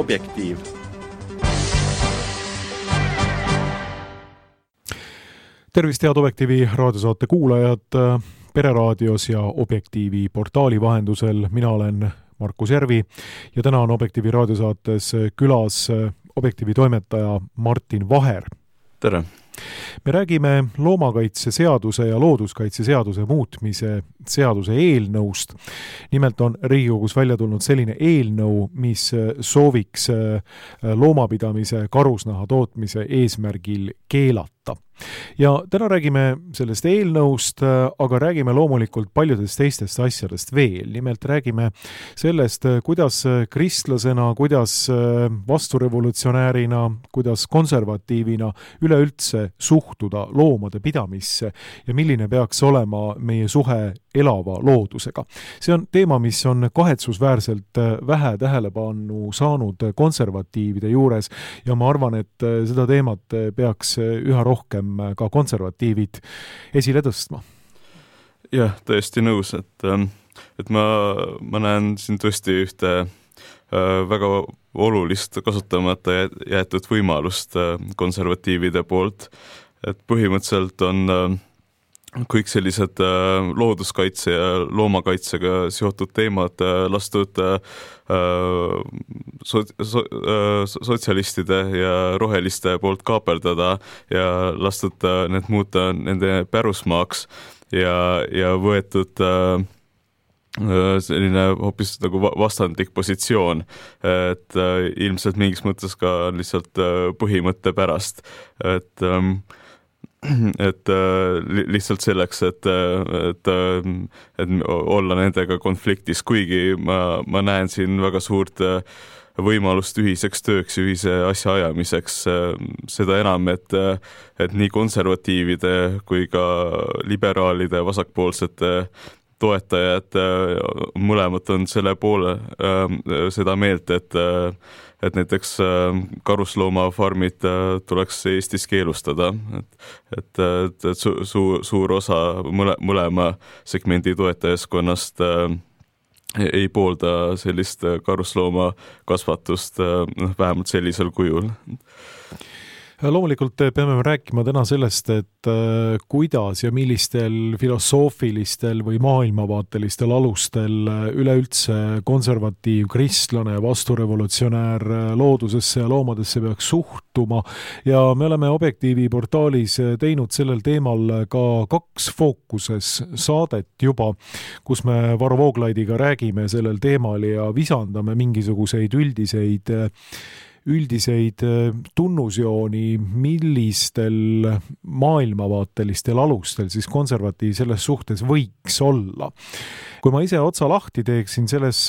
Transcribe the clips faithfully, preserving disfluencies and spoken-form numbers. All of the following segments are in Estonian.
Objektiiv. Tervist, head Objektiivi raadiosaate kuulajad Pereraadios ja Objektiivi portaali vahendusel. Mina olen Markus Järvi ja täna on Objektiivi raadiosaates külas Objektiivi toimetaja Martin Vaher. Tere! Me räägime loomakaitseseaduse ja looduskaitseseaduse muutmise seaduse eelnõust. Nimelt on Riigikogus välja tulnud selline eelnõu, mis sooviks loomapidamise karusnaha tootmise eesmärgil keelata. Ja täna räägime sellest eelnõust, aga räägime loomulikult paljudest teistest asjadest veel. Nimelt räägime sellest, kuidas kristlasena, kuidas vasturevolutsionäärina, kuidas konservatiivina üleüldse suhtuda loomade pidamisse ja milline peaks olema meie suhe elava loodusega. See on teema, mis on kahetsusväärselt vähe tähelepanu saanud konservatiivide juures ja ma arvan, et seda teemat peaks üha rohkem ka konservatiivid esile tõstma. Jah, tõesti nõus, et, et ma, ma näen siin tõesti ühte väga olulist kasutamata jäetud võimalust konservatiivide poolt, et põhimõtteliselt on kõik sellised looduskaitse ja loomakaitsega seotud teemad lastud so, so, sotsialistide ja roheliste poolt kaaperdada ja lastud need muuta nende pärusmaaks ja, ja võetud selline hoopis nagu vastandlik positsioon, et ilmselt mingis mõttes ka lihtsalt põhimõtte pärast, et et lihtsalt selleks, et, et, et olla nendega konfliktis, kuigi ma, ma näen siin väga suurt võimalust ühiseks tööks, ühise asja ajamiseks, seda enam, et, et nii konservatiivide kui ka liberaalide vasakpoolsete toetajad mõlemad on selle poole seda meelt, et et näiteks karusloomafarmid tuleks Eestis keelustada, et, et, et su, su, suur osa mõle, mõlema segmendi toetajaskonnast ei poolda sellist karuslooma kasvatust vähemalt sellisel kujul. Loomulikult peame rääkima täna sellest, et kuidas ja millistel filosoofilistel või maailmavaatelistel alustel üleüldse konservatiiv, kristlane, vasturevolutsionäär loodusesse ja loomadesse peaks suhtuma. Ja me oleme Objektiivi portaalis teinud sellel teemal ka kaks fookuses saadet juba, kus me Varro Vooglaidiga räägime sellel teemal ja visandame mingisuguseid üldiseid üldiseid tunnusjooni, millistel maailmavaatelistel alustel siis konservatiiv selles suhtes võiks olla. Kui ma ise otsa lahti teeksin selles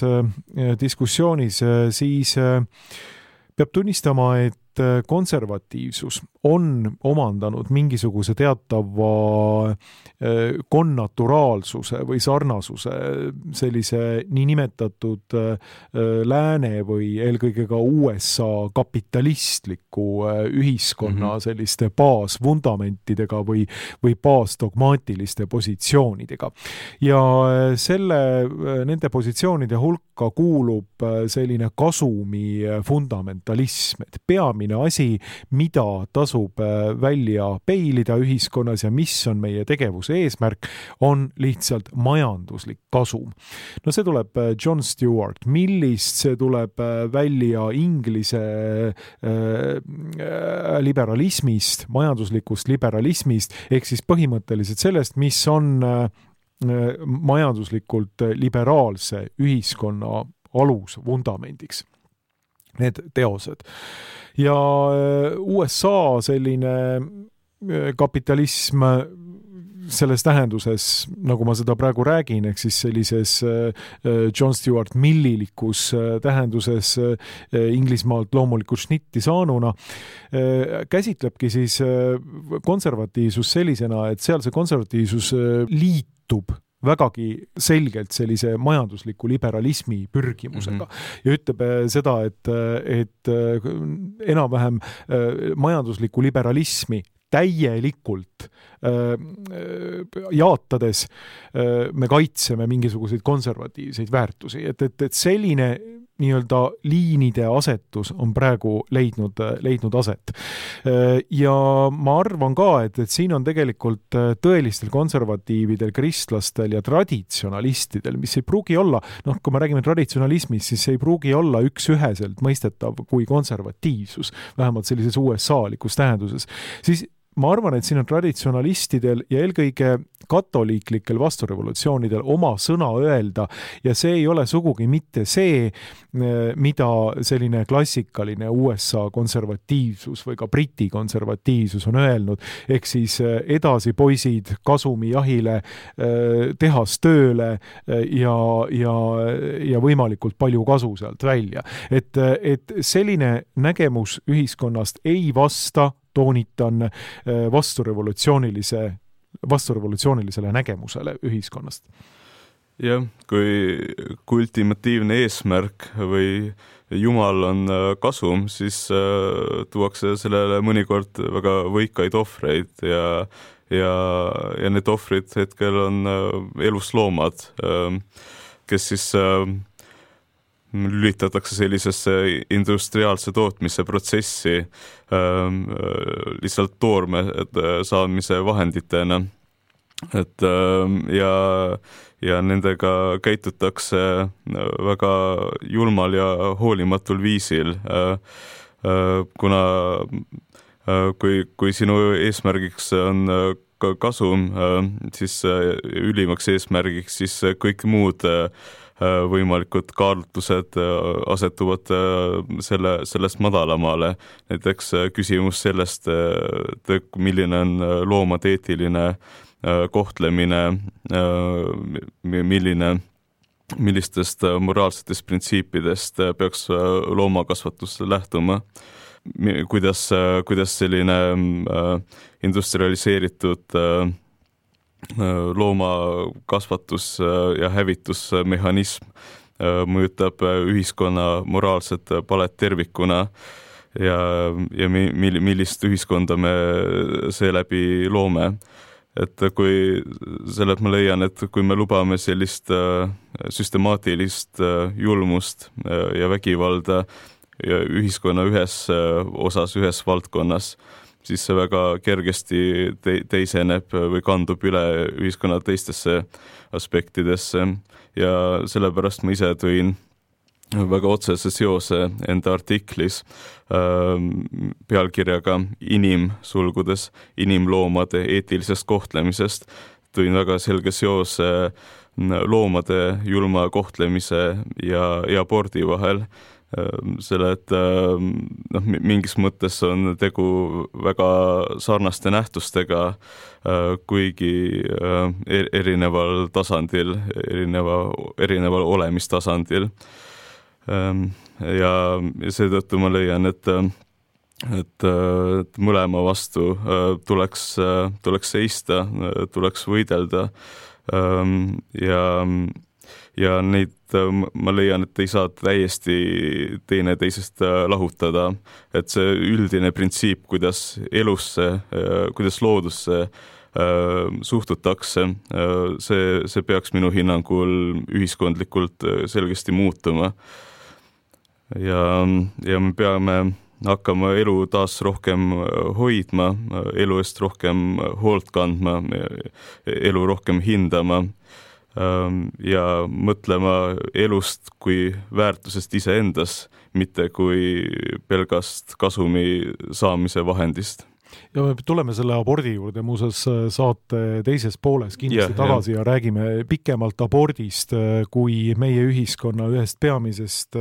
diskussioonis, siis peab tunnistama, et konservatiivsus on omandanud mingisuguse teatava konnaturaalsuse või sarnasuse sellise niinimetatud lääne või eelkõige ka U S A kapitalistliku ühiskonna selliste baasfundamentidega või, või baasdogmaatiliste positsioonidega. Ja selle, nende positsioonide hulka kuulub selline kasumi fundamentalism, et peamine asi, mida tasub välja peilida ühiskonnas ja mis on meie tegevuse eesmärk, on lihtsalt majanduslik kasum. No see tuleb John Stewart, millist see tuleb välja Inglise liberalismist, majanduslikust liberalismist, ehk siis põhimõtteliselt sellest, mis on majanduslikult liberaalse ühiskonna alus vundamendiks. Need teosed. Ja U S A selline kapitalism selles tähenduses, nagu ma seda praegu räägin, ehk siis sellises John Stuart Millilikus tähenduses Inglismaalt loomulikult šnitti saanuna, käsitlebki siis konservatiivsus sellisena, et seal see konservatiivsus liitub vägagi selgelt sellise majandusliku liberalismi pürgimusega mm-hmm. ja ütleb seda, et, et enam-vähem majandusliku liberalismi täielikult jaatades me kaitseme mingisuguseid konservatiivseid väärtusi, et, et, et selline nii-öelda liinide asetus on praegu leidnud, leidnud aset. Ja ma arvan ka, et, et siin on tegelikult tõelistel konservatiividel, kristlastel ja traditsionalistidel, mis ei pruugi olla, noh, kui me räägime traditsionalismist, siis ei pruugi olla üks-üheselt mõistetav kui konservatiivsus, vähemalt sellises U S A-likus tähenduses. Siis ma arvan, et siin on traditsionalistidel ja eelkõige katoliiklikel vasturevolutsioonidel oma sõna öelda ja see ei ole sugugi mitte see, mida selline klassikaline U S A konservatiivsus või ka Briti konservatiivsus on öelnud, ehk siis edasi poisid kasumi jahile, tehas tööle ja, ja, ja võimalikult palju kasu sealt välja. Et, et selline nägemus ühiskonnast ei vasta, toonitan vasturevolutsioonilise, vasturevolutsioonilisele nägemusele ühiskonnast. Jah, kui, kui ultimatiivne eesmärk või Jumal on kasum, siis tuuakse sellele mõnikord väga võikaid ohvreid ja, ja, ja need ohvrid hetkel on elusloomad, kes siis lülitatakse sellisesse industriaalse tootmise protsessi äh, lihtsalt toorme saamise vahenditena. Et, äh, ja, ja nendega käitutakse väga julmal ja hoolimatul viisil, äh, äh, kuna äh, kui, kui sinu eesmärgiks on ka kasum, äh, siis äh, ülimaks eesmärgiks, siis kõik muud äh, võimalikud kaalutlused asetuvad selle, sellest madalamale. Näiteks küsimus sellest, milline on loomade eetiline kohtlemine, milline, millistest moraalsetest printsiipidest peaks loomakasvatus lähtuma. Kuidas, kuidas selline industrialiseeritud loomakasvatus ja hävitusmehhanism mõjutab ühiskonna moraalset palet tervikuna ja, ja millist ühiskonda me seeläbi loome. Et kui selle, et ma leian, et kui me lubame sellist süstemaatilist julmust ja vägivalda ja ühiskonna ühes osas, ühes valdkonnas, siis see väga kergesti te- teiseneb või kandub üle ühiskonna teistesse aspektidesse ja sellepärast ma ise tõin väga otsese seose enda artiklis äh, pealkirjaga inim sulgudes inimloomade eetilisest kohtlemisest. Tõin väga selge seose loomade julma kohtlemise ja, ja abordi vahel. Selle, et noh, mingis mõttes on tegu väga sarnaste nähtustega, kuigi erineval tasandil, erineva, erineval olemistasandil. Ja seetõttu ma leian, et, et, et mõlema vastu tuleks, tuleks seista, tuleks võidelda ja ja neid ma leian, et ei saa täiesti teine teisest lahutada, et see üldine printsiip, kuidas elusse, kuidas loodusse suhtutakse, see, see peaks minu hinnangul ühiskondlikult selgesti muutuma. Ja, ja me peame hakkama elu taas rohkem hoidma, elu eest rohkem hoolt kandma, elu rohkem hindama ja mõtlema elust kui väärtusest iseendas, mitte kui pelgast kasumi saamise vahendist. Ja me tuleme selle abordi juurde muuseas saate teises pooles kindlasti ja, tagasi ja. ja räägime pikemalt abordist kui meie ühiskonna ühest peamisest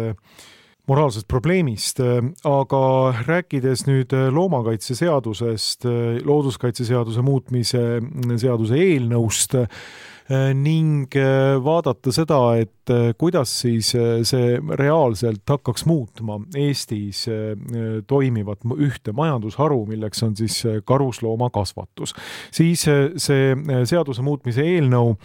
moraalsest probleemist, aga rääkides nüüd loomakaitseseadusest, looduskaitseseaduse muutmise seaduse eelnõust ning vaadata seda, et kuidas siis see reaalselt hakkaks muutma Eestis toimivat ühte majandusharu, milleks on siis karusloomakasvatus. Siis see seaduse muutmise eelnõu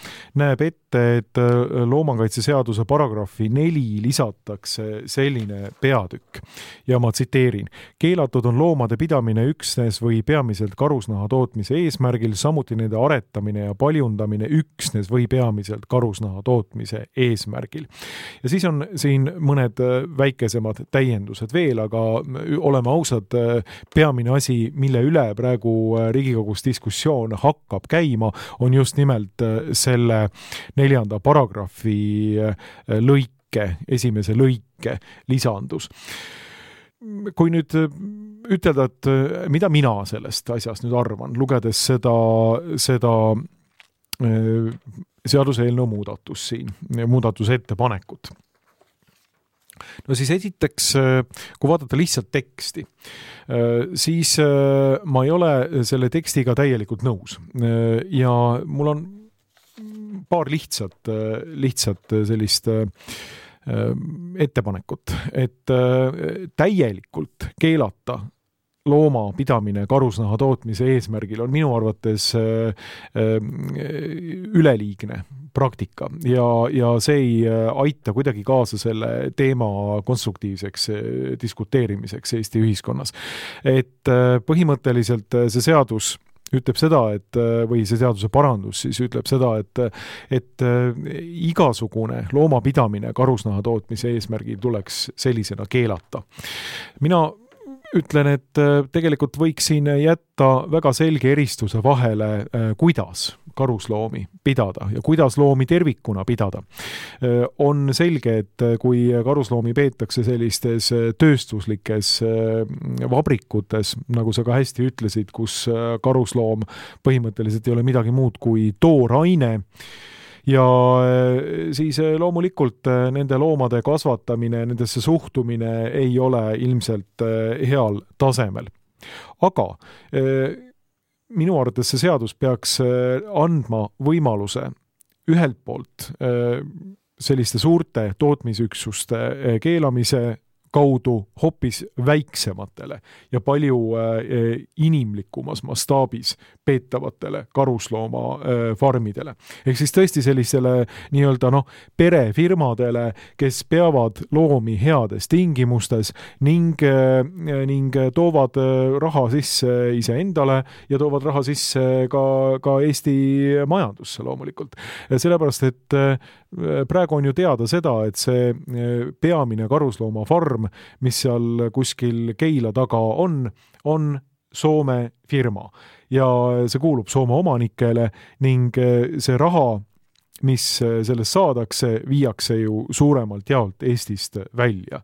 näeb ette, et loomakaitseseaduse paragrahvi neli lisatakse selline peatükk. Ja ma tsiteerin. Keelatud on loomade pidamine üksnes või peamiselt karusnaha tootmise eesmärgil, samuti nende aretamine ja paljundamine üksnes või peamiselt karusnaha tootmise eesmärgil. eesmärgil. Ja siis on siin mõned väikesemad täiendused veel, aga oleme ausad, peamine asi, mille üle praegu Riigikogus diskussioon hakkab käima, on just nimelt selle neljanda paragrahvi lõike, esimese lõike lisandus. Kui nüüd ütelda, et mida mina sellest asjast nüüd arvan, lugedes seda, seda seaduseelnõu muudatus siin, muudatuse ettepanekut. No siis esiteks, kui vaadata lihtsalt teksti, siis ma ei ole selle tekstiga täielikult nõus. Ja mul on paar lihtsat, lihtsat sellist ettepanekut, et täielikult keelata looma pidamine karusnaha tootmise eesmärgil on minu arvates üleliigne praktika ja, ja see ei aita kuidagi kaasa selle teema konstruktiivseks diskuteerimiseks Eesti ühiskonnas. Et põhimõtteliselt see seadus ütleb seda, et, või see seaduse parandus siis ütleb seda, et, et igasugune loomapidamine karusnaha tootmise eesmärgil tuleks sellisena keelata. Mina ütlen, et tegelikult võiks siin jätta väga selge eristuse vahele, kuidas karusloomi pidada ja kuidas loomi tervikuna pidada. On selge, et kui karusloomi peetakse sellistes tööstuslikes vabrikutes, nagu sa ka hästi ütlesid, kus karusloom põhimõtteliselt ei ole midagi muud kui tooraine, ja siis loomulikult nende loomade kasvatamine, nendesse suhtumine ei ole ilmselt heal tasemel. Aga minu arvates see seadus peaks andma võimaluse ühelt poolt selliste suurte tootmisüksuste keelamise kaudu hoopis väiksematele ja palju inimlikumas mastaabis peetavatele karuslooma farmidele. Ehk siis tõesti sellisele nii-öelda noh, perefirmadele, kes peavad loomi heades tingimustes ning, ning toovad raha sisse iseendale ja toovad raha sisse ka, ka Eesti majandusse loomulikult. Sellepärast, et praegu on ju teada seda, et see peamine karusloomafarm, mis seal kuskil Keila taga on, on Soome firma ja see kuulub Soome omanikele ning see raha, mis sellest saadakse, viiakse ju suuremalt jaolt Eestist välja.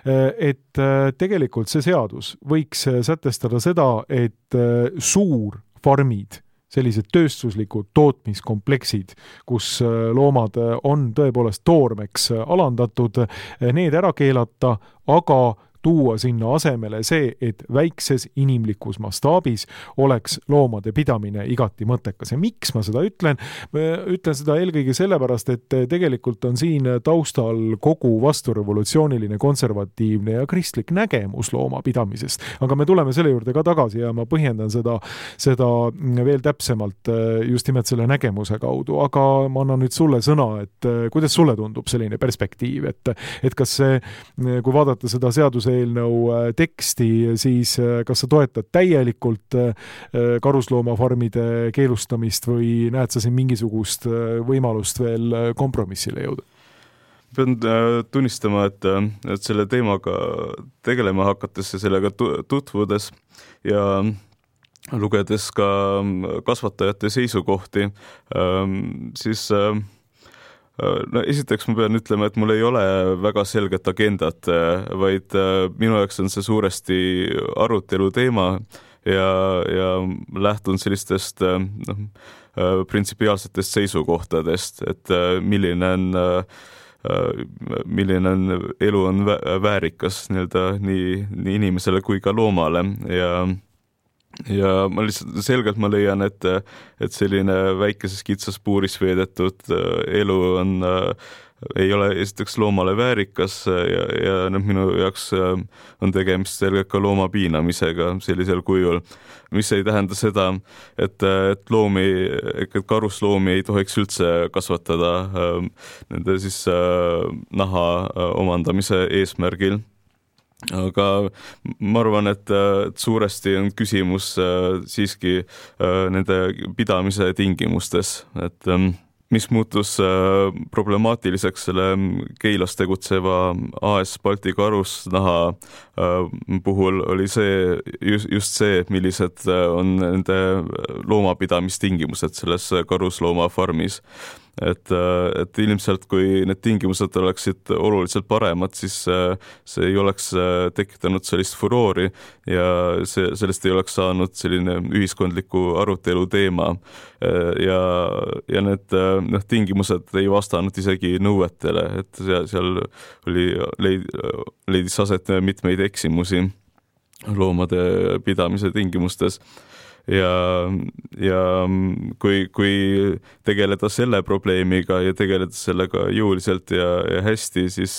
Et tegelikult see seadus võiks sätestada seda, et suurfarmid, sellised tööstuslikud tootmiskompleksid, kus loomad on tõepoolest toormeks alandatud, need ära keelata, aga tuua sinna asemele see, et väikses inimlikus mastaabis oleks loomade pidamine igati mõttekas. Ja miks ma seda ütlen? Ma ütlen seda eelkõige sellepärast, et tegelikult on siin taustal kogu vasturevolutsiooniline, konservatiivne ja kristlik nägemus loomapidamisest. Aga me tuleme selle juurde ka tagasi ja ma põhjendan seda, seda veel täpsemalt just nimelt selle nägemuse kaudu. Aga ma annan nüüd sulle sõna, et kuidas sulle tundub selline perspektiiv, et, et kas see, kui vaadata seda seaduse eelnõu teksti, siis kas sa toetad täielikult karusloomafarmide keelustamist või näed sa siin mingisugust võimalust veel kompromissile jõuda? Pean tunnistama, et, et selle teemaga tegelema hakates ja sellega tutvudes ja lugedes ka kasvatajate seisukohti, siis no esiteks ma pean ütlema, et mul ei ole väga selget agendat, vaid minu jaoks on see suuresti arutelu teema ja, ja lähtun sellistest noh, printsipiaalsetest seisukohtadest, et milline on, milline on elu on väärikas nii-öelda nii, nii inimesele kui ka loomale ja ja ma lihtsalt selgelt ma leian, et, et selline väikeses kitsas puuris veedetud elu on, ei ole esiteks loomale väärikas ja, ja minu jaoks on tegemist selgelt ka looma piinamisega sellisel kujul, mis ei tähenda seda, et, et loomi, et karusloomi ei tohiks üldse kasvatada nende siis naha omandamise eesmärgil. Aga ma arvan, et, et suuresti on küsimus siiski nende pidamise tingimustes, et mis muutus problemaatiliseks selle Keilas tegutseva A S Balti Karusnaha puhul oli see, just, just see, millised on nende loomapidamistingimused selles karusloomafarmis. Et, et ilmselt kui need tingimused oleksid oluliselt paremad, siis see ei oleks tekitanud sellist furoori ja see, sellest ei oleks saanud selline ühiskondliku arutelu teema ja, ja need noh, tingimused ei vastanud isegi nõuetele, et seal, seal oli, leid, leidis aset mitmeid eksimusi loomade pidamise tingimustes. Ja, ja kui, kui tegeleda selle probleemiga ja tegeleda sellega jõuliselt ja, ja hästi, siis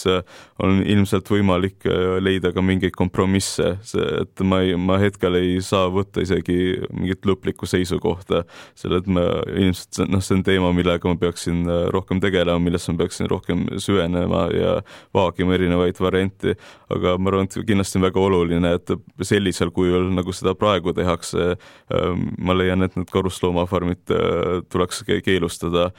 on ilmselt võimalik leida ka mingeid kompromisse, et ma, ei, ma hetkel ei saa võtta isegi mingit lõplikku seisukohta, selle, et ma ilmselt, noh, see on teema, millega ma peaksin rohkem tegelema, millesse ma peaksin rohkem süvenema ja vaagima erinevaid varianti, aga ma arvan, et kindlasti on väga oluline, et sellisel kujul, nagu seda praegu tehakse, ma leian, et need karusloomafarmid tuleks keelustada,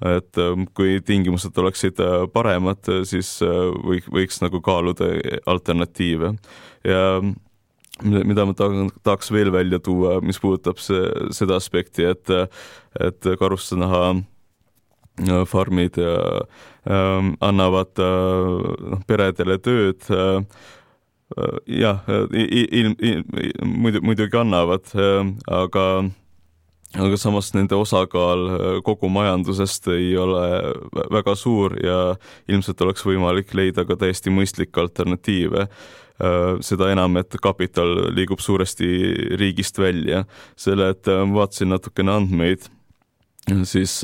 et kui tingimused oleksid paremad, siis võiks, võiks nagu kaaluda alternatiive. Ja mida ma tahaks veel välja tuua, mis puudutab see, seda aspekti, et, et karusnaha farmid annavad no, peredele tööd, jah, ilm, ilm, muidu, muidugi annavad, aga, aga samas nende osakaal kogu majandusest ei ole väga suur ja ilmselt oleks võimalik leida ka täiesti mõistlik alternatiive. Seda enam, et kapital liigub suuresti riigist välja. Selle, et vaatasin natukene andmeid, siis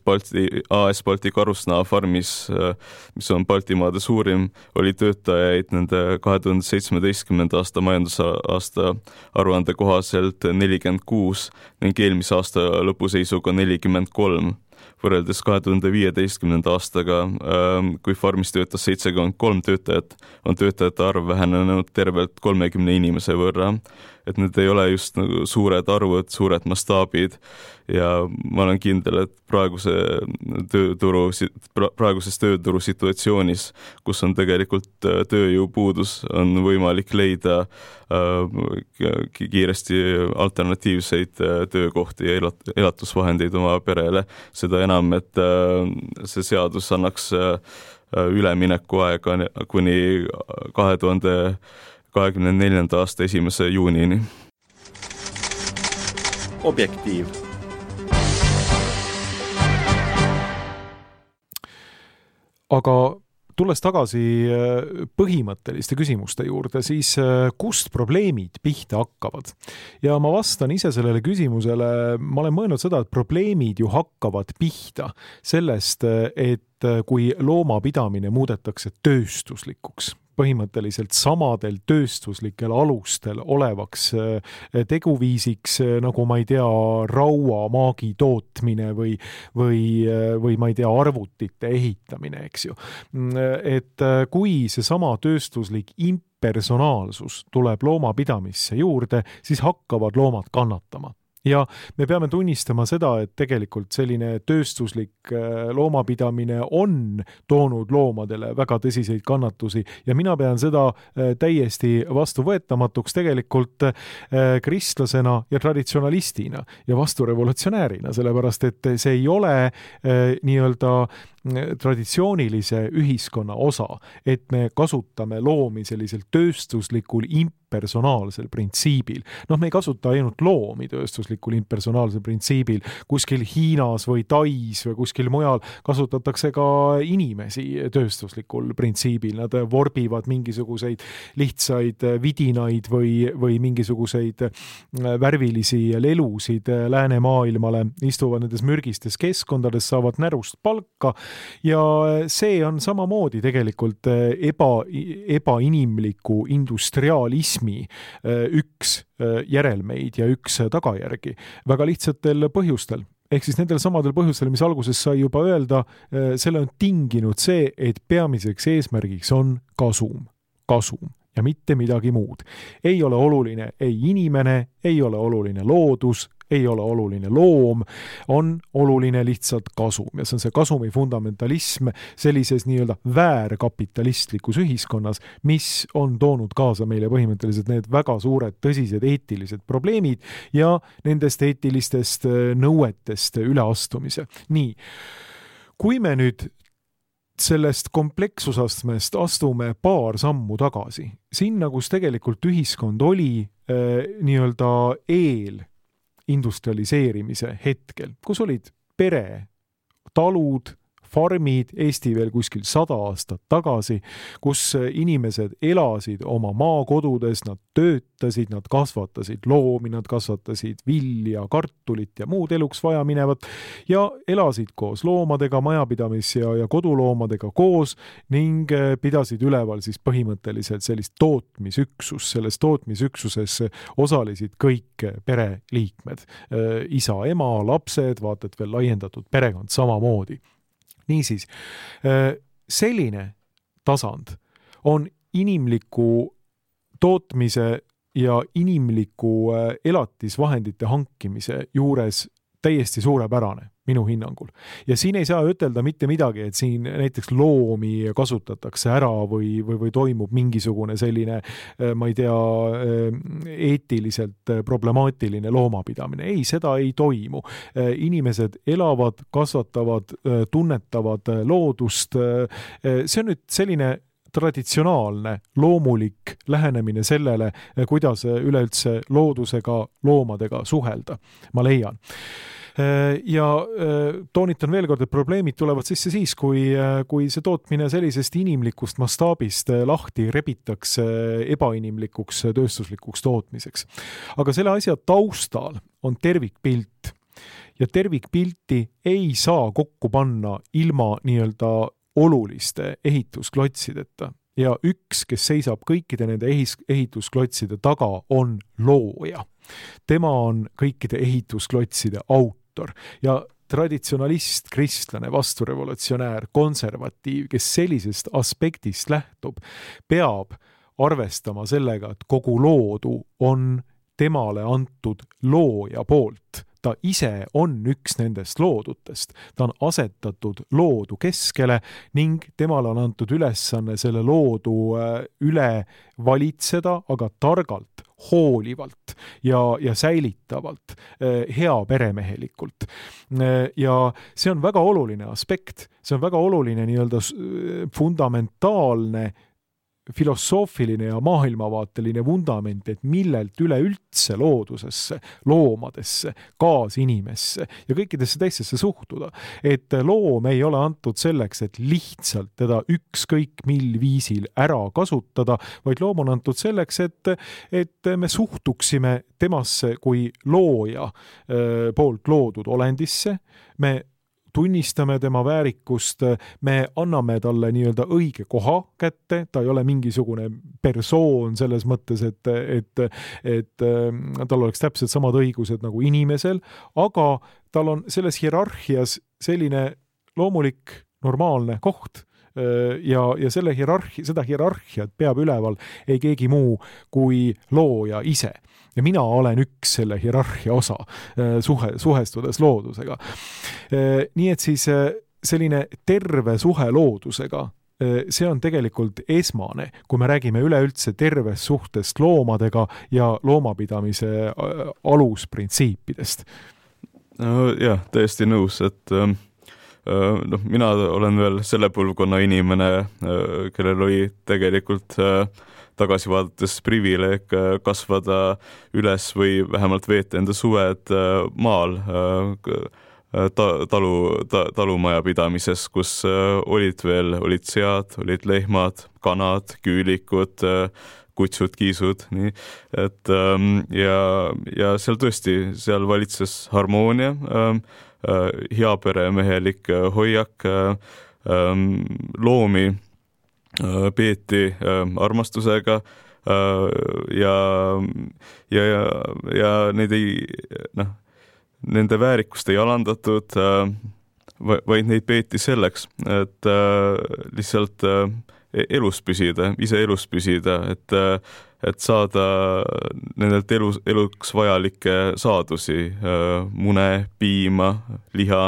Balti, A S Balti Karusnaha farmis, mis on Baltimaade suurim, oli töötajaid nende kahe tuhande seitsmeteistkümnenda aasta majandusaasta aruande kohaselt nelikümmend kuus ning eelmise aasta lõpuseisuga nelikümmend kolm. Võrreldes kahe tuhande viieteistkümnenda aastaga, kui farmis töötas seitsekümmend kolm töötajat, on töötajate arv vähenenud tervelt kolmekümne inimese võrra. Et need ei ole just nagu suured arvud, suured mastaabid ja ma olen kindel, et praeguse tööturu, praeguses tööturu situatsioonis, kus on tegelikult tööjõupuudus, on võimalik leida kiiresti alternatiivseid töökohti ja elatusvahendeid oma perele. Seda enam, et see seadus annaks ülemineku aega kuni kahe tuhande kahekümne neljanda aasta esimese juunini. Objektiiv. Aga tulles tagasi põhimõtteliste küsimuste juurde, siis kust probleemid pihta hakkavad? Ja ma vastan ise sellele küsimusele, ma olen mõelnud seda, et probleemid ju hakkavad pihta sellest, et kui loomapidamine muudetakse tööstuslikuks, põhimõtteliselt samadel tööstuslikel alustel olevaks teguviisiks, nagu ma ei tea, raua maagi tootmine või, või, või ma ei tea, arvutite ehitamine, eks ju. Et kui see sama tööstuslik impersonaalsus tuleb loomapidamisse juurde, siis hakkavad loomad kannatama. Ja me peame tunnistama seda, et tegelikult selline tööstuslik loomapidamine on toonud loomadele väga tõsiseid kannatusi ja mina pean seda täiesti vastuvõetamatuks tegelikult kristlasena ja traditsionalistina ja vasturevolutsionäärina, sellepärast et see ei ole nii-öelda traditsioonilise ühiskonna osa, et me kasutame loomi sellisel tööstuslikul impersonaalsel printsiibil. Noh, me ei kasuta ainult loomi tööstuslikul impersonaalsel printsiibil. Kuskil Hiinas või Tais või kuskil mujal kasutatakse ka inimesi tööstuslikul printsiibil. Nad vorbivad mingisuguseid lihtsaid vidinaid või, või mingisuguseid värvilisi lelusid läänemaailmale, istuvad nendes mürgistes keskkondades, saavad närust palka. Ja see on samamoodi tegelikult eba, ebainimliku industrialismi üks järelmeid ja üks tagajärgi väga lihtsatel põhjustel. Ehk siis nendel samadel põhjustel, mis alguses sai juba öelda, selle on tinginud see, et peamiseks eesmärgiks on kasum, kasum. Ja mitte midagi muud. Ei ole oluline ei inimene, ei ole oluline loodus, ei ole oluline loom, on oluline lihtsalt kasum ja see on see kasumi fundamentalism sellises nii-öelda väärkapitalistlikus ühiskonnas, mis on toonud kaasa meile põhimõtteliselt need väga suured tõsised eetilised probleemid ja nendest eetilistest nõuetest üleastumise. Nii, kui me nüüd sellest komplekssusastmest astume paar sammu tagasi, sinna, kus tegelikult ühiskond oli äh, nii-öelda eel industrialiseerimise hetkel, kus olid pere, talud, farmid, Eesti veel kuskil sada aastat tagasi, kus inimesed elasid oma maakodudes, nad töötasid, nad kasvatasid loomi, nad kasvatasid vilja, kartulit ja muud eluks vaja minevat ja elasid koos loomadega, majapidamis- ja, ja koduloomadega koos ning pidasid üleval siis põhimõtteliselt sellist tootmisüksus. Selles tootmisüksuses osalesid kõik pereliikmed. Isa, ema, lapsed, vaata, et veel laiendatud perekond samamoodi. Niisiis, selline tasand on inimliku tootmise ja inimliku elatisvahendite hankimise juures täiesti suurepärane minu hinnangul. Ja siin ei saa ütelda mitte midagi, et siin näiteks loomi kasutatakse ära või, või, või toimub mingisugune selline, ma ei tea, eetiliselt problemaatiline loomapidamine. Ei, seda ei toimu. Inimesed elavad, kasvatavad, tunnetavad loodust. See on nüüd selline traditsionaalne, loomulik lähenemine sellele, kuidas üleüldse loodusega, loomadega suhelda, ma leian. Ja toonitan veel kord, et probleemid tulevad sisse siis, kui, kui see tootmine sellisest inimlikust mastaabist lahti rebitakse ebainimlikuks tööstuslikuks tootmiseks. Aga selle asja taustal on tervikpilt ja tervikpilti ei saa kokku panna ilma nii-öelda oluliste ehitusklotsideta. Ja üks, kes seisab kõikide nende ehitusklotside taga, on looja. Tema on kõikide ehitusklotside autor ja traditsionalist, kristlane, vasturevolutsionäär, konservatiiv, kes sellisest aspektist lähtub, peab arvestama sellega, et kogu loodu on temale antud looja poolt. Ta ise on üks nendest loodutest. Ta on asetatud loodu keskele ning temale on antud ülesanne selle loodu üle valitseda, aga targalt, hoolivalt ja, ja säilitavalt, hea peremehelikult. Ja see on väga oluline aspekt. See on väga oluline nii-öelda fundamentaalne filosoofiline ja maailmavaateline vundament, et millelt üleüldse loodusesse, loomadesse, kaasinimesse ja kõikidesse teistesse suhtuda. Et loom ei ole antud selleks, et lihtsalt teda ükskõik mil viisil ära kasutada, vaid loom on antud selleks, et, et me suhtuksime temasse kui looja poolt loodud olendisse, me tunnistame tema väärikust, me anname talle nii-öelda õige koha kätte, ta ei ole mingisugune persoon selles mõttes, et, et, et tal oleks täpselt samad õigused nagu inimesel, aga tal on selles hierarhias selline loomulik, normaalne koht ja, ja selle hierarhi, seda hierarhiat peab üleval ei keegi muu kui looja ise. Ja mina olen üks selle hierarhia osa suhe, suhestudes loodusega. Nii et siis selline terve suhe loodusega, see on tegelikult esmane, kui me räägime üleüldse tervest suhtest loomadega ja loomapidamise alusprintsiipidest. No, jah, täiesti nõus, et noh, mina olen veel selle põlvkonna inimene, kellel oli tegelikult tagasi vaadates privileeg kasvada üles või vähemalt veeta enda suved maal talu, talumaja pidamises, kus olid veel, olid sead, olid lehmad, kanad, küülikud, kutsud, kiisud, nii, et ja, ja seal tõesti, seal valitses harmoonia, heaperemehelik hoiak, loomi peeti armastusega ja, ja, ja, ja neid ei, noh, nende väärikust ei alandatud, vaid neid peeti selleks, et lihtsalt elus püsida, ise elus püsida, et, et saada nendelt elus, eluks vajalikke saadusi, mune, piima, liha,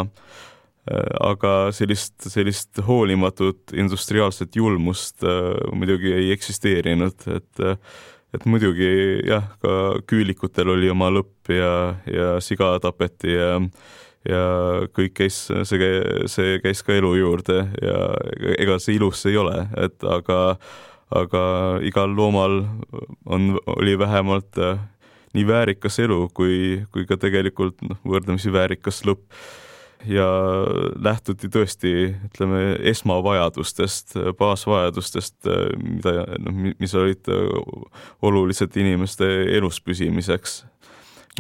aga sellist, sellist hoolimatut industriaalset julmust muidugi ei eksisteerinud, et et muidugi jah, ka küülikutel oli oma lõpp ja, ja siga tapeti ja, ja kõik käis, see, see käis ka elu juurde ja ega see ilus ei ole, et aga, aga igal loomal on, oli vähemalt nii väärikas elu kui, kui ka tegelikult noh, võrdlemisi väärikas lõpp. Ja lähtuti tõesti, ütleme, esmavajadustest, baasvajadustest, mida, noh, mis olid olulised inimeste elus püsimiseks.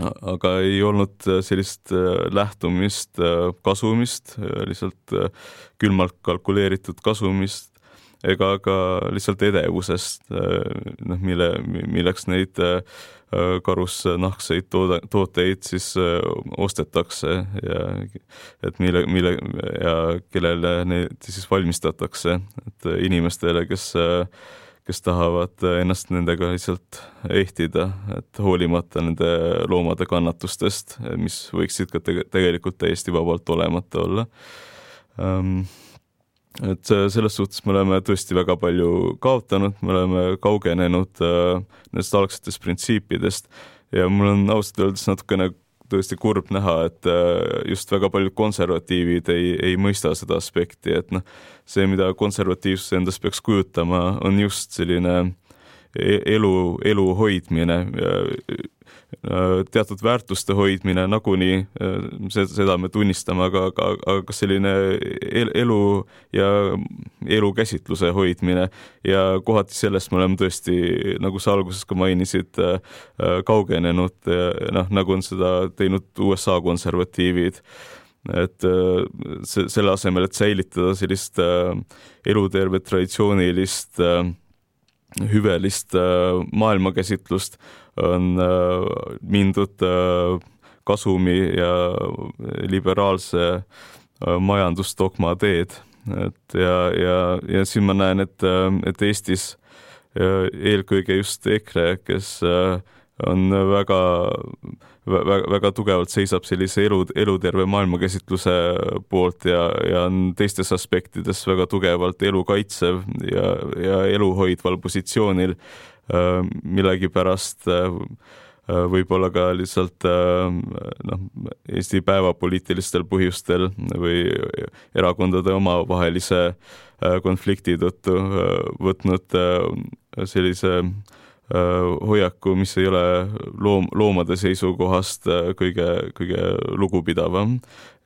Aga ei olnud sellist lähtumist kasumist, lihtsalt külmalt kalkuleeritud kasumist, ega ka lihtsalt edevusest, noh, mille, milleks neid karusnahkseid tooteid siis ostetakse ja et mille, mille ja kellele neid siis valmistatakse, et inimestele, kes, kes tahavad ennast nendega lihtsalt ehtida, et hoolimata nende loomade kannatustest, mis võiksid ka tegelikult täiesti vabalt olemata olla. Et selles suhtes me oleme tõesti väga palju kaotanud, me oleme kaugenenud nendest algsetest printsiipidest ja mul on ausalt öeldes natukene tõesti kurb näha, et just väga paljud konservatiivid ei, ei mõista seda aspekti, et noh, see, mida konservatiivsus endast peaks kujutama, on just selline elu, elu hoidmine, teatud väärtuste hoidmine, nagunii seda me tunnistame, aga, aga, aga selline elu ja elukäsitluse hoidmine ja kohati sellest me oleme tõesti, nagu sa alguses ka mainisid, kaugenenud, noh, nagu on seda teinud U S A konservatiivid, et se, selle asemel, et säilitada sellist elutervet traditsioonilist hüvelist maailmakäsitlust, on mindud kasumi ja liberaalse majandusdogma teed. Et ja, ja, ja siin ma näen, et, et Eestis eelkõige just EKRE, kes on väga, väga, väga tugevalt seisab sellise elu, eluterve maailmakäsitluse poolt ja, ja on teistes aspektides väga tugevalt elu kaitsev ja, ja elu hoidval positsioonil, millegi pärast võib-olla ka lihtsalt noh, Eesti päevapoliitilistel põhjustel või erakondade omavahelise konflikti tõttu võtnud sellise hoiaku, mis ei ole loom, loomade seisukohast kõige, kõige lugupidavam.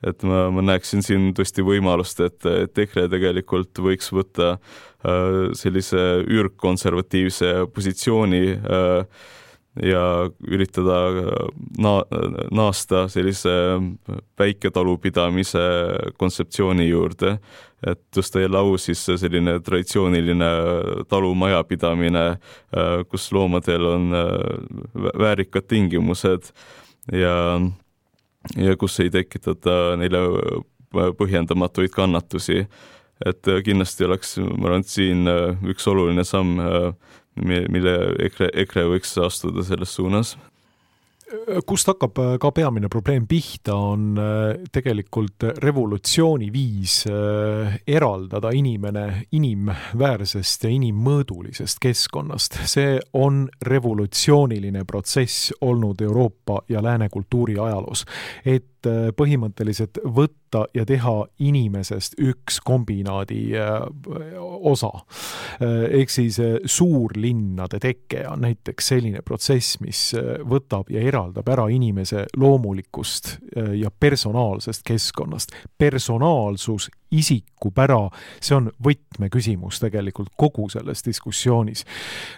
Et ma, ma näeksin siin tõesti võimalust, et, et EKRE tegelikult võiks võtta sellise ürgkonservatiivse positsiooni ja üritada na- naasta sellise väiketalupidamise kontseptsiooni juurde, et tõsta jälle au siis selline traditsiooniline talumajapidamine, kus loomadel on väärikad tingimused ja, ja kus ei tekitata neile põhjendamatuid kannatusi. Et kindlasti oleks, ma arvan, et siin üks oluline samm, mille EKRE, EKRE võiks astuda selles suunas. Kust hakkab ka peamine probleem pihta, on tegelikult revolutsiooni viis eraldada inimene inimväärsest ja inimmõõdulisest keskkonnast. See on revolutsiooniline protsess olnud Euroopa ja lääne kultuuri ajaloos, et põhimõtteliselt võtta ja teha inimesest üks kombinaadi osa. Ehk siis suurlinnade teke on näiteks selline protsess, mis võtab ja eraldab ära inimese loomulikust ja personaalsest keskkonnast. Personaalsus, isikupära, see on võtmeküsimus tegelikult kogu selles diskussioonis.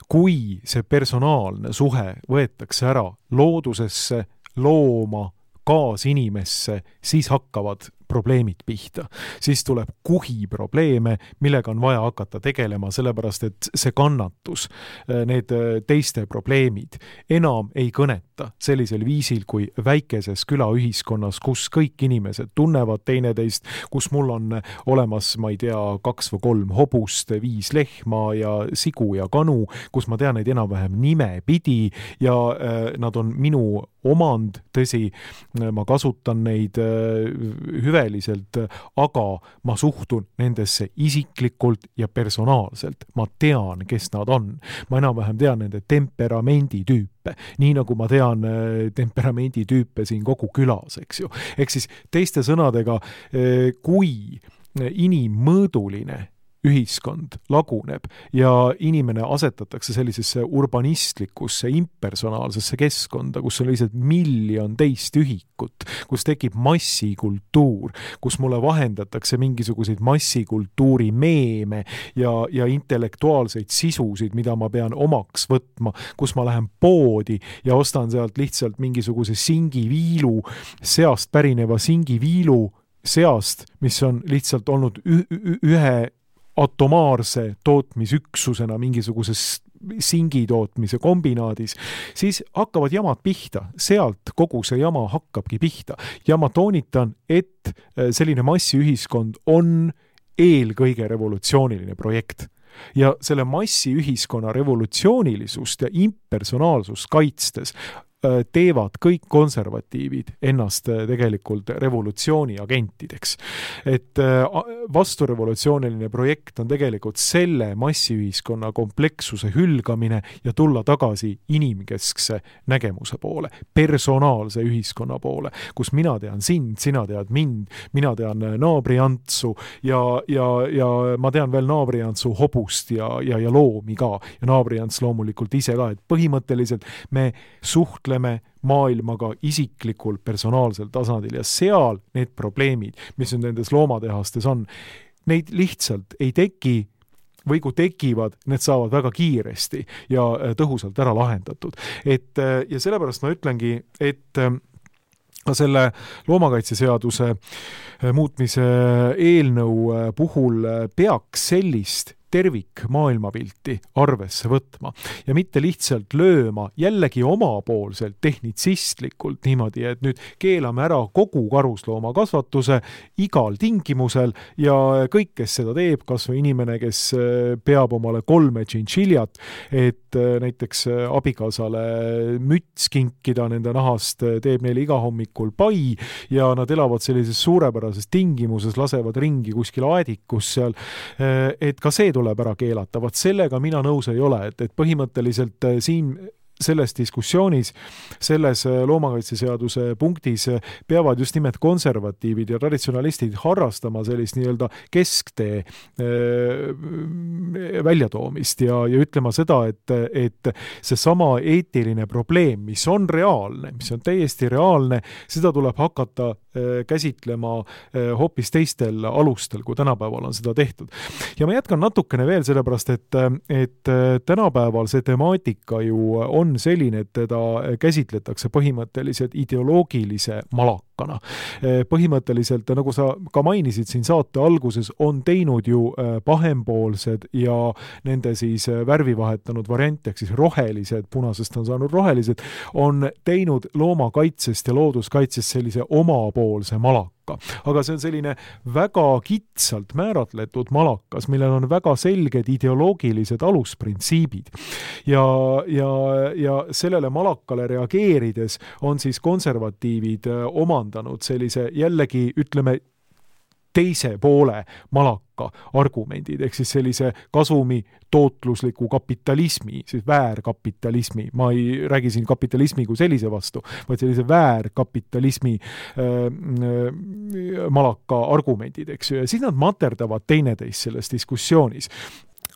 Kui see personaalne suhe võetakse ära loodusesse, looma, kaasinimesse, siis hakkavad probleemid pihta. Siis tuleb kuhi probleeme, millega on vaja hakata tegelema, sellepärast et see kannatus, need teiste probleemid enam ei kõneta sellisel viisil kui väikeses külaühiskonnas, kus kõik inimesed tunnevad teineteist, kus mul on olemas, ma ei tea, kaks või kolm hobust, viis lehma ja sigu ja kanu, kus ma tean neid enam-vähem nime pidi ja nad on minu omand, tõsi, ma kasutan neid hüveliselt, aga ma suhtun nendesse isiklikult ja personaalselt. Ma tean, kes nad on. Ma enam-vähem tean nende temperamenditüüpe, nii nagu ma tean temperamenditüüpe siin kogu külas, eks ju. Ehk siis teiste sõnadega, kui inimmõõduline ühiskond laguneb ja inimene asetatakse sellisesse urbanistlikusse, impersonaalsesse keskkonda, kus on lihtsalt miljon teist ühikut, kus tekib massikultuur, kus mulle vahendatakse mingisuguseid massikultuuri meeme ja, ja intellektuaalseid sisusid, mida ma pean omaks võtma, kus ma lähen poodi ja ostan sealt lihtsalt mingisuguse singiviilu, seast pärineva singiviilu seast, mis on lihtsalt olnud ühe atomaarse tootmisüksusena mingisuguses singitootmise kombinaadis, siis hakkavad jamad pihta. Sealt kogu see jama hakkabki pihta. Ja ma toonitan, et selline massiühiskond on eelkõige revolutsiooniline projekt. Ja selle massiühiskonna revolutsioonilisust ja impersonaalsust kaitstes teevad kõik konservatiivid ennast tegelikult revolutsiooni agentideks. Et vasturevolutsiooniline projekt on tegelikult selle massiühiskonna komplekssuse hülgamine ja tulla tagasi inimkeskse nägemuse poole, personaalse ühiskonna poole, kus mina tean sind, sina tead mind, mina tean naabriantsu ja, ja, ja ma tean veel naabriantsu hobust ja, ja, ja loomi ka ja naabriants loomulikult ise ka, et põhimõtteliselt me suhtleme maailmaga isiklikul personaalsel tasandil ja seal need probleemid, mis nüüd nendes loomatehastes on, neid lihtsalt ei teki või kui tekivad, need saavad väga kiiresti ja tõhusalt ära lahendatud. Et, ja sellepärast ma ütlengi, et ka selle loomakaitseseaduse muutmise eelnõu puhul peaks sellist tervik maailmapilti arvesse võtma ja mitte lihtsalt lööma jällegi omapoolselt tehnitsistlikult niimoodi, et nüüd keelame ära kogu karuslooma kasvatuse igal tingimusel ja kõik, kes seda teeb, kas või inimene, kes peab omale kolme tšintšiljat, et näiteks abikaasale müts kinkida nende nahast, teeb neile iga hommikul pai ja nad elavad sellises suurepärases tingimuses, lasevad ringi kuskil aedikus seal, et ka see tuleb ära keelata. Vaat sellega mina nõus ei ole, et, et põhimõtteliselt siin selles diskussioonis, selles loomakaitseseaduse punktis peavad just nimelt konservatiivid ja traditsionalistid harrastama sellist nii-öelda kesktee väljatoomist ja, ja ütlema seda, et, et see sama eetiline probleem, mis on reaalne, mis on täiesti reaalne, seda tuleb hakata käsitlema hoopis teistel alustel, kui tänapäeval on seda tehtud. Ja ma jätkan natukene veel sellepärast, et, et tänapäeval see temaatika ju on selline, et teda käsitletakse põhimõtteliselt ideoloogilise malakana. Põhimõtteliselt, nagu sa ka mainisid siin saate alguses, on teinud ju pahempoolsed ja nende siis värvi vahetanud variant, ehk siis rohelised, punasest on saanud rohelised, on teinud loomakaitsest ja looduskaitsest sellise omapoolse malaka. Aga see on selline väga kitsalt määratletud malakas, millel on väga selged ideoloogilised alusprintsiibid. Ja, ja, ja sellele malakale reageerides on siis konservatiivid omandanud sellise jällegi, ütleme, teise poole malaka argumendid, ehk siis sellise kasumi tootlusliku kapitalismi, siis väärkapitalismi, ma ei räägi siin kapitalismi kui sellise vastu, vaid sellise väärkapitalismi äh, äh, malaka argumendid, eks ju, ja siis nad materdavad teineteist selles diskussioonis.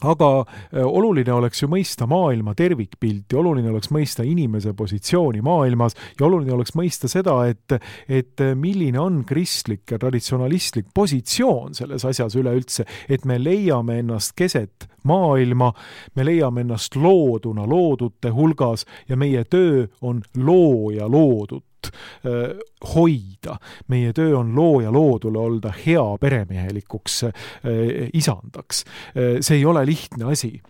Aga oluline oleks ju mõista maailma tervikpilti, oluline oleks mõista inimese positsiooni maailmas ja oluline oleks mõista seda, et, et milline on kristlik ja traditsionalistlik positsioon selles asjas üleüldse, et me leiame ennast keset maailma, me leiame ennast looduna loodute hulgas ja meie töö on looja loodut loodut hoida. Meie töö on loo ja loodule olda hea peremehelikuks isandaks. See ei ole lihtne asi.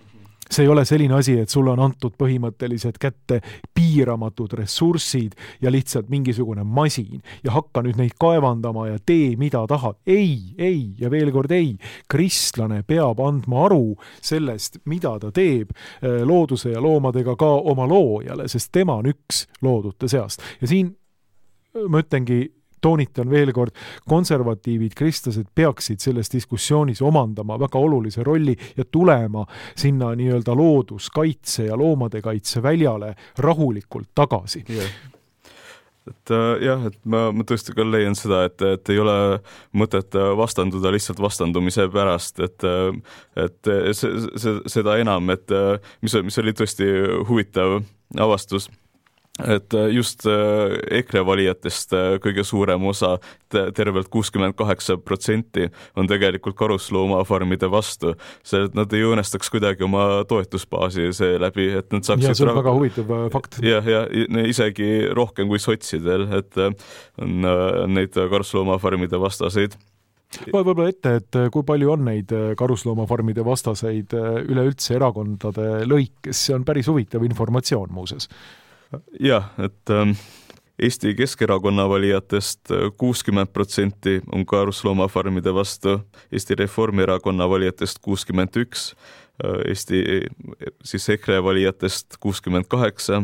See ei ole selline asi, et sulle on antud põhimõtteliselt kätte piiramatud ressursid ja lihtsalt mingisugune masin ja hakka nüüd neid kaevandama ja tee mida tahad. Ei, ei ja veel kord ei. Kristlane peab andma aru sellest, mida ta teeb looduse ja loomadega ka oma loojale, sest tema on üks loodute seast. Ja siin ma ütlengi, toonitan veel kord, konservatiivid, kristlased peaksid selles diskussioonis omandama väga olulise rolli ja tulema sinna nii-öelda looduskaitse ja loomade kaitse väljale rahulikult tagasi. Yeah. Et jah, et ma, ma tõesti ka leian seda, et, et ei ole mõtet vastanduda lihtsalt vastandumise pärast, et, et see, see, seda enam, et mis, mis oli tõesti huvitav avastus, et just EKRE valijatest kõige suurem osa, tervelt kuuskümmend kaheksa protsenti on tegelikult karusloomafarmide vastu. See, et nad ei õõnestaks kuidagi oma toetusbaasi see läbi, et nad saaksid... Ja see on väga huvitav fakt. Ja, ja isegi rohkem kui sotsidel, et on neid karusloomafarmide vastaseid. Võib-olla ette, et kui palju on neid karusloomafarmide vastaseid üleüldse erakondade lõikes, see on päris huvitav informatsioon muuses. Jah, et ähm, Eesti Keskerakonna valijatest kuuskümmend protsenti on karusloomafarmide vastu, Eesti Reformierakonna valijatest kuuskümmend üks, Eesti siis EKRE valijatest kuuskümmend kaheksa,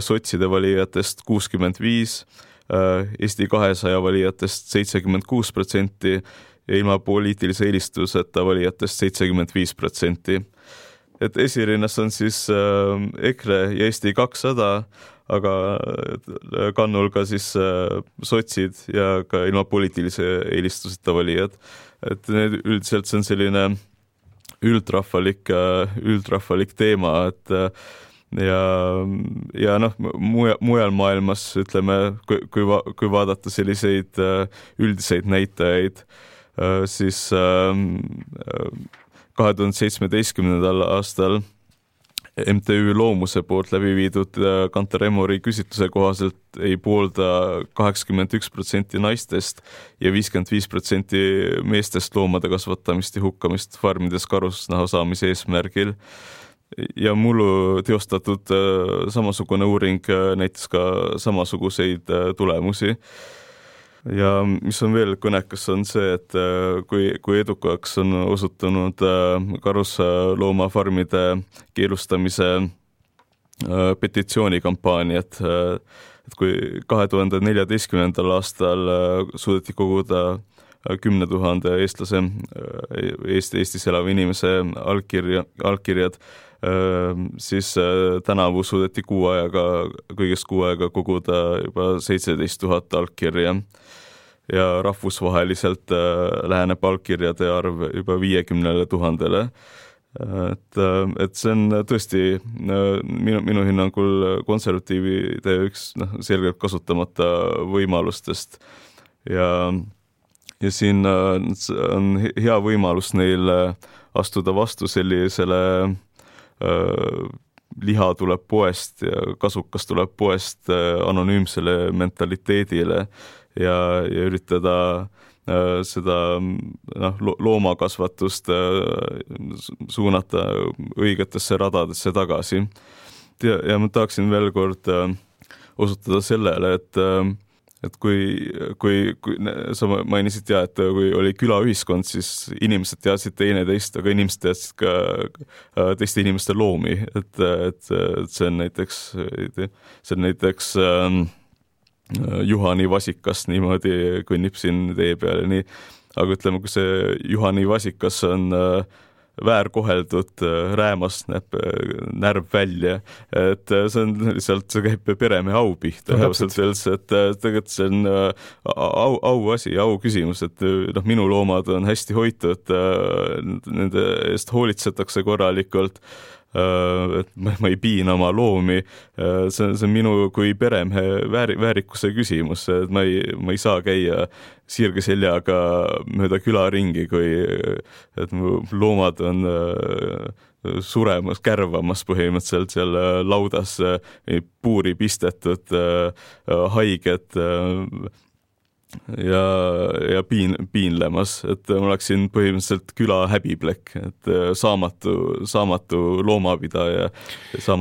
sotside valijatest kuuskümmend viis, Eesti kahesaja valijatest seitsekümmend kuus protsenti ja ilma poliitilise eelistuseta valijatest seitsekümmend viis protsenti. Et esirinnas on siis äh, EKRE ja Eesti kakssada, aga kannul ka siis äh, sotsid ja ka ilma poliitilise eelistuseta valijad. Et need üldiselt see on selline üldrahvalik, üldrahvalik teema, et ja, ja noh, mujal maailmas, ütleme, kui, kui, va, kui vaadata selliseid üldiseid näitajaid, siis kahe tuhande seitsmeteistkümnendal aastal M T Ü Loomuse poolt läbi viidud Kantar Emori küsitluse kohaselt ei poolda kaheksakümmend üks protsenti naistest ja viiskümmend viis protsenti meestest loomade kasvatamist ja hukkamist farmides karusnaha saamise eesmärgil. Ja mullu teostatud samasugune uuring näitas ka samasuguseid tulemusi. Ja mis on veel kõnekas on see, et kui, kui edukaks on osutunud karusloomafarmide keelustamise petitsioonikampaaniat, et kui kahe tuhande neljateistkümnendal aastal suudeti koguda kümne tuhande eestlase, Eesti, Eestis elava inimese allkirja, allkirjad, siis tänavu suudeti kuu ajaga, kõigest kuu ajaga koguda juba seitseteist tuhat allkirja ja rahvusvaheliselt läheneb allkirjade arv juba viiekümnele tuhandele. Et, et see on tõesti minu, minu hinnangul konservatiivide üks noh, selgelt kasutamata võimalustest ja, ja siin on hea võimalus neil astuda vastu sellisele liha tuleb poest ja kasukas tuleb poest anonüümsele mentaliteedile ja, ja üritada seda noh, loomakasvatust suunata õigetesse radadesse tagasi. Ja, ja ma tahaksin veel kord osutada sellele, et et kui, kui, kui sa mainisid ja, et kui oli külaühiskond, siis inimesed teadsid teine teist, aga inimesed teadsid ka teiste inimeste loomi, et, et, et see on näiteks, see on näiteks ähm, Juhani vasikas niimoodi kõnnib siin tee peale, nii, aga ütleme, kui see Juhani vasikas on äh, väärkoheldud räämast näeb närv välja, et see on lihtsalt, see käib peremehe au pihta, et tegelikult see on au, au asi, au küsimus, et noh, minu loomad on hästi hoitud, nende eest hoolitsetakse korralikult et ma, ma ei piina oma loomi, see, see on minu kui peremehe väär, väärikuse küsimus, et ma ei, ma ei saa käia sirge seljaga mööda külaringi, kui et mu loomad on suremas, kärvamas põhimõtteliselt seal laudas, puuri pistetud, haiged ja, ja piin, piinlemas, et ma oleksin põhimõtteliselt küla häbiplekk, et saamatu, saamatu loomapidaja.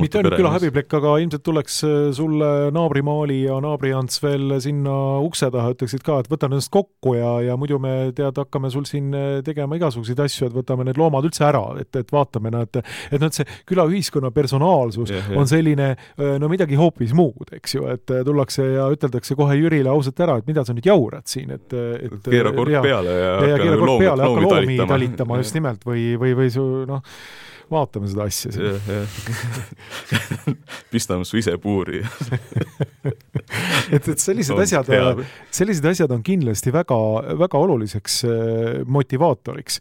Mitte ainult küla häbiplekk, aga ilmselt tuleks sulle naabrimaali ja naabriants veel sinna ukse taha, ütleksid ka, et võtan ennast kokku ja, ja muidu me tead, hakkame sul siin tegema igasuguseid asju, et võtame need loomad üldse ära, et, et vaatame, no, et, et no, et see külaühiskonna personaalsus ja, ja. on selline, no midagi hoopis muud, eks ju, et tullakse ja üteldakse kohe Jürile ausalt ära, et mida sa nüüd jaurad siin, et, et keera kork ja, peale ja, ja, ja keera kork loomi, peale, hakka loomi talitama, talitama just nimelt või, või, või su, noh, vaatame seda asja siin. Pistame su ise puuri. et, et sellised asjad, sellised asjad on kindlasti väga, väga oluliseks motivaatoriks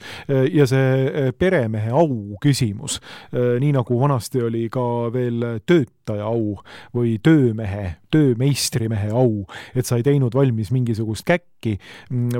ja see peremehe au küsimus, nii nagu vanasti oli ka veel töötaja au või töömehe, töömeistrimehe au, et sa ei teinud valmis mingisugust käkki,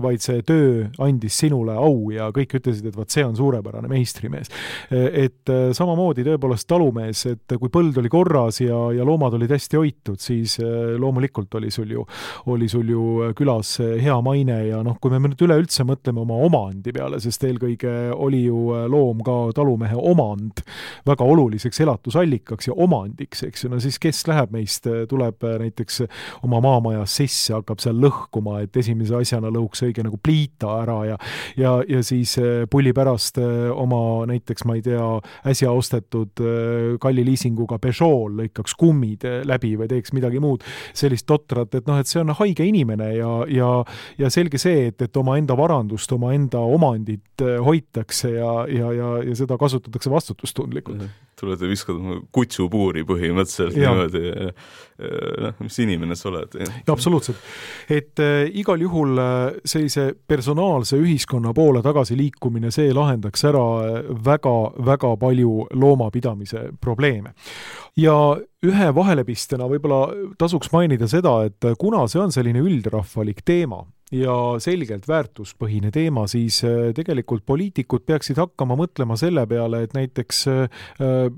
vaid see töö andis sinule au ja kõik ütlesid, et vaat see on suurepärane meistrimees. Et samamoodi tõepoolest talumees, et kui põld oli korras ja, ja loomad olid hästi hoitud, siis loomulikult oli sul ju, oli sul ju külas hea maine ja noh, kui me nüüd üleüldse mõtleme oma omandi peale, sest eelkõige oli ju loom ka talumehe omand väga oluliseks elatusallikaks ja omandiks, eks ju, no siis kes läheb meist, tuleb näiteks oma maamajas sisse, hakkab seal lõhkuma, et esimese asjana lõhuks õige nagu pliita ära ja, ja, ja siis pulli pärast oma näiteks, ma ei tea, äsja ostetud kalli liisinguga Peugeot lõikaks kummid läbi või teeks midagi muud sellist totrat, et noh, et see on haige inimene ja, ja, ja selge see, et, et oma enda varandust, oma enda omandit hoitakse ja, ja, ja, ja seda kasutatakse vastutustundlikult. Tuled ja viskad kutsupuuri põhimõtteliselt ja. Niimoodi, noh, mis inimene sa oled. Ja, absoluutselt. Et äh, igal juhul äh, sellise personaalse ühiskonna poole tagasi liikumine, see lahendaks ära väga, väga palju loomapidamise probleeme. Ja ühe vahelepistena võib-olla tasuks mainida seda, et kuna see on selline üldrahvalik teema, ja selgelt väärtuspõhine teema, siis tegelikult poliitikud peaksid hakkama mõtlema selle peale, et näiteks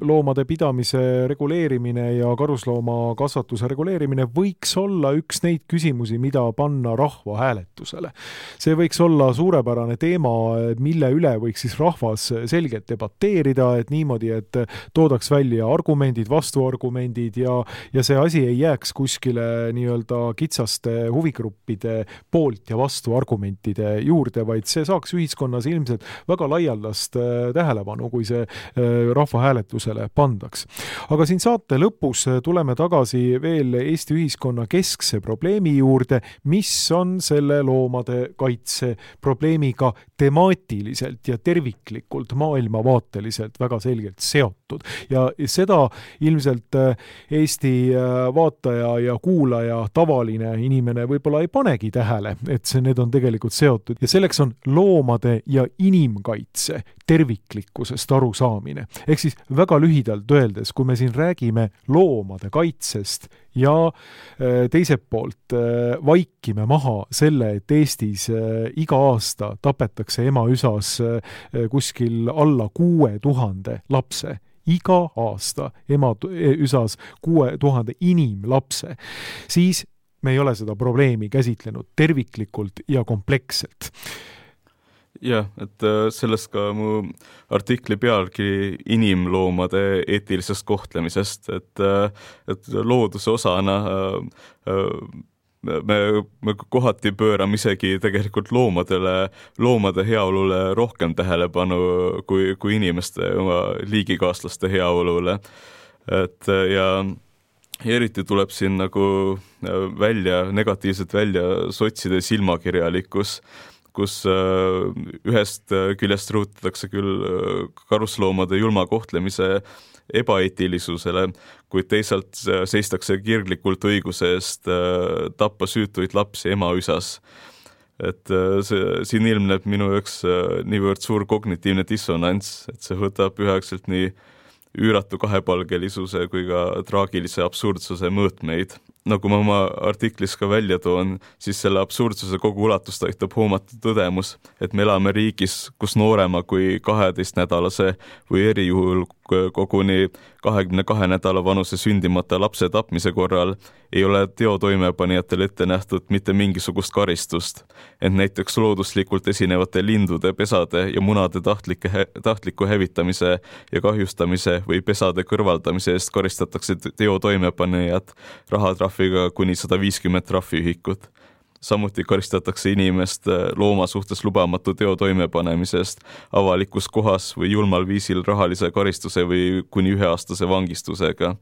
loomade pidamise reguleerimine ja karuslooma kasvatuse reguleerimine võiks olla üks neid küsimusi, mida panna rahva hääletusele. See võiks olla suurepärane teema, mille üle võiks siis rahvas selgelt debateerida, et niimoodi, et toodaks välja argumendid, vastuargumendid ja, ja see asi ei jääks kuskile nii-öelda kitsaste huvigruppide poolt ja vastu argumentide juurde, vaid see saaks ühiskonnas ilmselt väga laialdast tähelepanu, kui see rahvahääletusele pandaks. Aga siin saate lõpus tuleme tagasi veel Eesti ühiskonna keskse probleemi juurde, mis on selle loomade kaitse probleemiga temaatiliselt ja terviklikult maailmavaateliselt väga selgelt seotud. Ja seda ilmselt Eesti vaataja ja kuulaja, tavaline inimene võib-olla ei panegi tähele, et see, need on tegelikult seotud. Ja selleks on loomade ja inimkaitse terviklikkusest arusaamine. Ehk siis väga lühidalt öeldes, kui me siin räägime loomade kaitsest ja teiselt poolt vaikime maha selle, et Eestis iga aasta tapetakse emaüsas kuskil alla kuue tuhande lapse. Iga aasta emaüsas kuue tuhande inimlapse. Siis me ei ole seda probleemi käsitlenud terviklikult ja kompleksselt. Jah, et sellest ka mu artikli pealkiri inimloomade eetilisest kohtlemisest, et, et looduse osana me, me kohati pöörame isegi tegelikult loomadele, loomade heaolule rohkem tähelepanu kui, kui inimeste oma liigikaaslaste heaolule. Et ja Ja eriti tuleb siin nagu välja, negatiivselt välja sotside silmakirjalikkus, kus ühest küljest rõhutatakse küll karusloomade julma kohtlemise ebaeetilisusele, kuid teisalt seistakse kirglikult õiguse eest tappa süütuid lapsi emaüsas. Et see, siin ilmneb minu üks niivõrd suur kognitiivne dissonants, et see võtab ühekselt nii üüratu kahepalgelisuse kui ka traagilise absurdsuse mõõtmeid. Nagu ma oma artiklis ka välja toon, siis selle absurdsuse kogu ulatust aitab hoomata tõdemus, et me elame riigis, kus noorema kui kaheteistnädalase või erijuhul koguni kahekümne kahe nädala vanuse sündimata lapse tapmise korral ei ole teo toimepanijatel ette nähtud mitte mingisugust karistust, ent näiteks looduslikult esinevate lindude, pesade ja munade tahtlike, tahtliku hävitamise ja kahjustamise või pesade kõrvaldamise eest karistatakse teo toimepanijad rahatrahviga kuni sada viiskümmend trahviühikut. Samuti karistatakse inimest looma suhtes lubamatu teo toimepanemisest avalikus kohas või julmal viisil rahalise karistuse või kuni üheaastase vangistusega.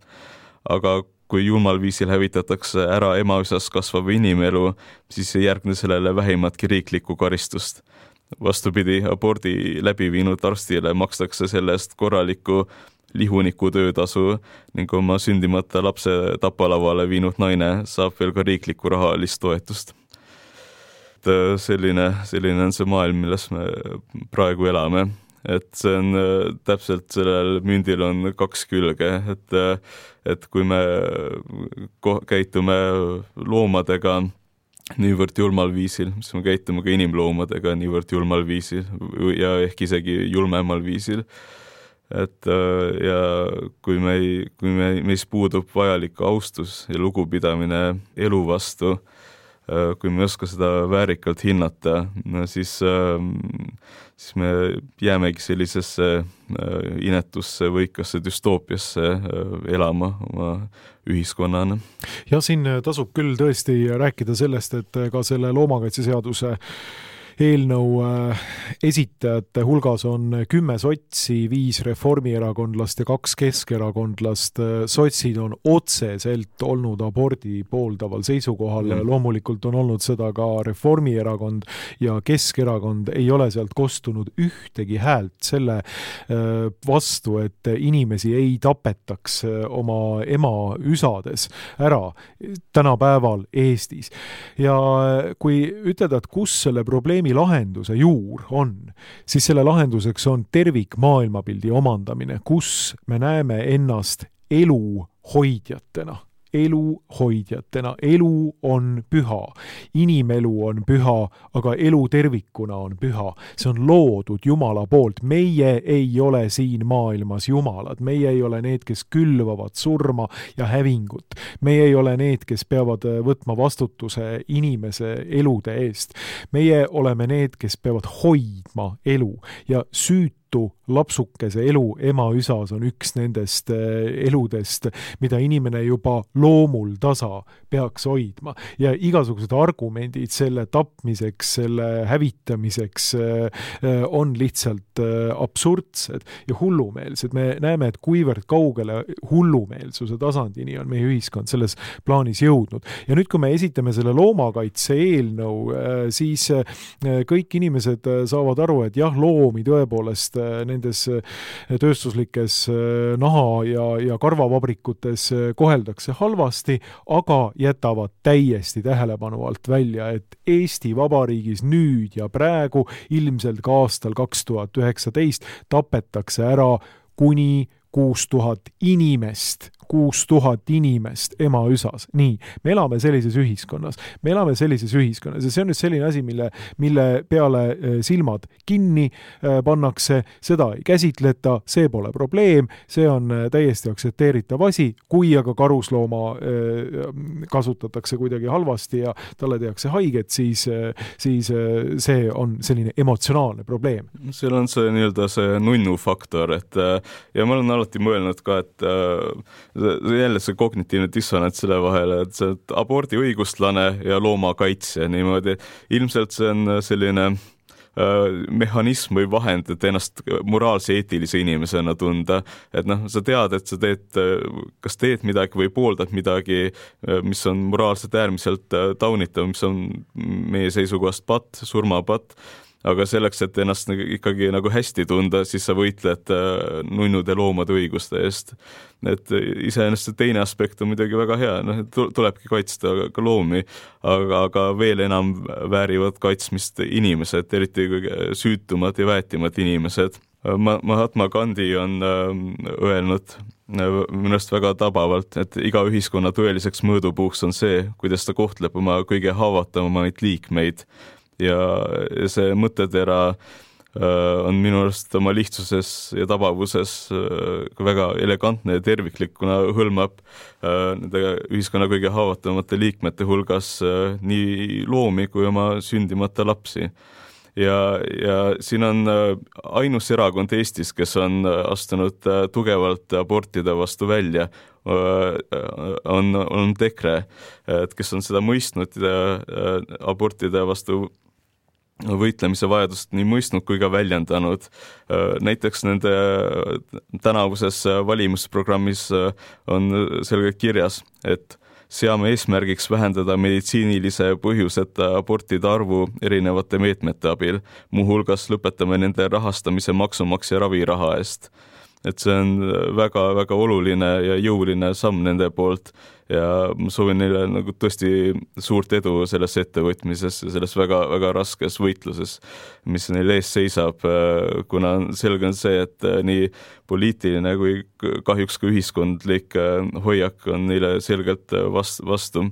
Aga kui julmal viisil hävitatakse ära emaüsas kasvav inimelu, siis ei järgne sellele vähimatki riiklikku karistust. Vastupidi, abordi läbi viinud arstile makstakse sellest korralikku lihuniku töötasu ning oma sündimata lapse tapalavale viinud naine saab veel ka riiklikku rahalist toetust. Selline, selline on see maailm, milles me praegu elame. Et see on täpselt sellel mündil on kaks külge, et, et kui me käitume loomadega niivõrd julmal viisil, siis me käitume ka inimloomadega niivõrd julmal viisil ja ehk isegi julmemal viisil. Et ja kui me, kui me, meis puudub vajalik austus ja lugupidamine elu vastu, kui me ei oska seda väärikalt hinnata, no siis, siis me jäämegi sellisesse inetusse võikasse dystoopiasse elama oma ühiskonnana. Ja siin tasub küll tõesti rääkida sellest, et ka selle loomakaitseseaduse eelnõu esitajate hulgas on kümme sotsi, viis reformierakondlast ja kaks keskerakondlast. Sotsid on otseselt olnud abordi pooldaval seisukohal. Mm. Loomulikult on olnud seda ka Reformierakond ja Keskerakond. Ei ole sealt kostunud ühtegi häält selle vastu, et inimesi ei tapetaks oma ema üsades ära tänapäeval Eestis. Ja kui ütelda, et kus selle probleemi lahenduse juur on, siis selle lahenduseks on tervik maailmapildi omandamine, kus me näeme ennast elu hoidjatena. Elu hoidjatena. Elu on püha. Inimelu on püha, aga elu tervikuna on püha. See on loodud Jumala poolt. Meie ei ole siin maailmas jumalad. Meie ei ole need, kes külvavad surma ja hävingut. Meie ei ole need, kes peavad võtma vastutuse inimese elude eest. Meie oleme need, kes peavad hoidma elu ja süüt lapsukese elu ema-üsas on üks nendest eludest, mida inimene juba loomul tasa peaks hoidma. Ja igasugused argumendid selle tapmiseks, selle hävitamiseks on lihtsalt absurdsed ja hullumeelsed. Me näeme, et kuivõrd kaugele hullumeelsuse tasandini on meie ühiskond selles plaanis jõudnud. Ja nüüd, kui me esitame selle loomakaitse eelnõu, siis kõik inimesed saavad aru, et jah, loomi tõepoolest nendes tööstuslikes naha- ja, ja karvavabrikutes koheldakse halvasti, aga jätavad täiesti tähelepanu alt välja, et Eesti Vabariigis nüüd ja praegu, ilmselt ka aastal kaks tuhat üheksateist, tapetakse ära kuni kuus tuhat inimest, kuus tuhat inimest ema-üsas. Nii, me elame sellises ühiskonnas. Me elame sellises ühiskonnas ja see on nüüd selline asi, mille, mille peale silmad kinni pannakse, seda ei käsitleta, see pole probleem, see on täiesti aktsepteeritav asi, kui aga karuslooma kasutatakse kuidagi halvasti ja talle tehakse haiget, siis, siis see on selline emotsionaalne probleem. Seal on see nii-öelda see nunnu faktor, et ja ma olen alati mõelnud ka, et jälle see kognitiivne dissonants selle vahele, et see abordi õigustlane ja loomakaitse niimoodi. Ilmselt see on selline mehhanism või vahend, et ennast moraalse eetilise inimesena tunda, et noh, sa tead, et sa teed, kas teed midagi või pooldad midagi, mis on moraalselt äärmiselt taunitav, mis on meie seisukohast patt, surmapatt, aga selleks, et ennast ikkagi nagu hästi tunda, siis sa võitled nunnude loomade õiguste eest. Et iseenesest teine aspekt on muidugi väga hea, noh, tulebki kaitsta ka loomi, aga, aga veel enam väärivad kaitsmist inimesed, eriti süütumad ja väetimad inimesed. Mahatma Gandhi on öelnud minust väga tabavalt, et iga ühiskonna tõeliseks mõõdupuuks on see, kuidas ta kohtleb oma kõige haavatavamaid liikmeid ja see mõttetera on minu arust oma lihtsuses ja tabavuses väga elegantne ja terviklik, kuna hõlmab nende ühiskonna kõige haavatavamate liikmete hulgas nii loomi kui oma sündimata lapsi. Ja, ja siin on ainus erakond Eestis, kes on astunud tugevalt abortide vastu välja, on, on EKRE, kes on seda mõistnud abortide vastu võitlemise vajadust nii mõistnud kui ka väljendanud. Näiteks nende tänavuses valimusprogrammis on selgelt kirjas, et seame eesmärgiks vähendada meditsiinilise põhjuseta abortide arvu erinevate meetmete abil, muuhulgas lõpetame nende rahastamise maksumaksja raviraha eest. Et see on väga, väga oluline ja jõuline samm nende poolt ja ma soovin neile nagu tõesti suurt edu selles ettevõtmises ja selles väga, väga raskes võitluses, mis neil ees seisab, kuna selge on see, et nii poliitiline kui kahjuks ka ühiskondlik hoiak on neile selgelt vastu,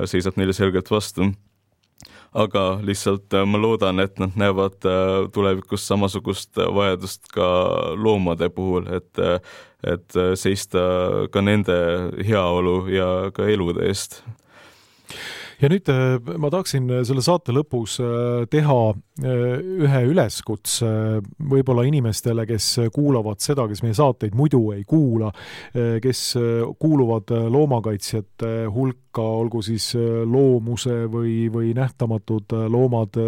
seisab neile selgelt vastu. Aga lihtsalt ma loodan, et nad näevad tulevikus samasugust vajadust ka loomade puhul, et, et seista ka nende heaolu ja ka elude eest. Ja nüüd ma tahaksin selle saate lõpus teha ühe üleskutse võib-olla inimestele, kes kuulavad seda, kes meie saateid muidu ei kuula, kes kuuluvad loomakaitsjate hulka, olgu siis loomuse või, või nähtamatud loomad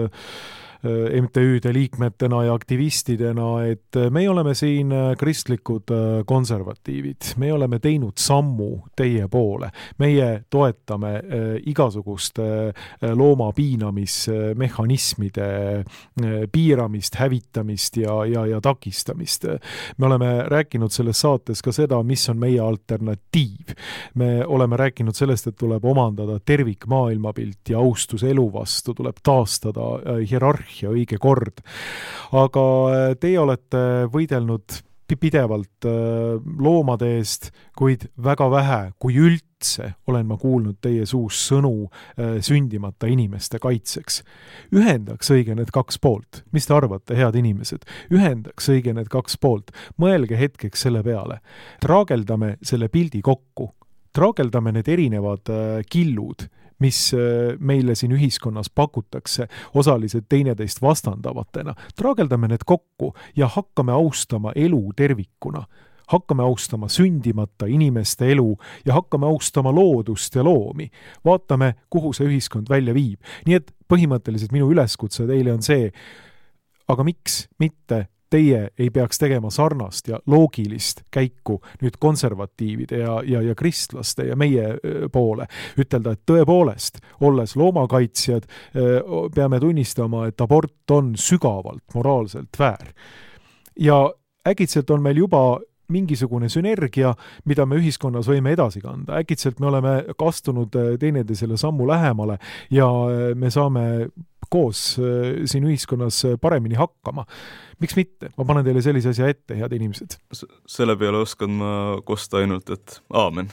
M T Üde liikmetena ja aktivistidena, et me oleme siin kristlikud konservatiivid. Me oleme teinud sammu teie poole. Meie toetame igasuguste looma piinamismehhanismide piiramist, hävitamist ja, ja, ja takistamist. Me oleme rääkinud selles saates ka seda, mis on meie alternatiiv. Me oleme rääkinud sellest, et tuleb omandada tervik maailmapilt ja austus elu vastu, tuleb taastada hierarhia ja õige kord. Aga teie olete võidelnud pidevalt loomade eest, kuid väga vähe, kui üldse olen ma kuulnud teie suus sõnu sündimata inimeste kaitseks. Ühendaks õige need kaks poolt. Mis te arvate, head inimesed? Ühendaks õige need kaks poolt. Mõelge hetkeks selle peale. Traageldame selle pildi kokku. Traageldame need erinevad killud, mis meile siin ühiskonnas pakutakse, osaliselt teineteist vastandavatena. Traageldame need kokku ja hakkame austama elu tervikuna. Hakkame austama sündimata inimeste elu ja hakkame austama loodust ja loomi. Vaatame, kuhu see ühiskond välja viib. Nii et põhimõtteliselt minu üleskutse teile on see, aga miks mitte teie ei peaks tegema sarnast ja loogilist käiku nüüd konservatiivide ja, ja, ja kristlaste ja meie poole. Ütelda, et tõepoolest, olles loomakaitsjad, peame tunnistama, et abort on sügavalt moraalselt väär. Ja äkitselt on meil juba mingisugune sünergia, mida me ühiskonnas võime edasi kanda. Äkitselt me oleme kastunud teineteisele sammu lähemale ja me saame koos siin ühiskonnas paremini hakkama. Miks mitte? Ma panen teile sellise asja ette, head inimesed. Selle peale oskan ma kosta ainult, et aamen.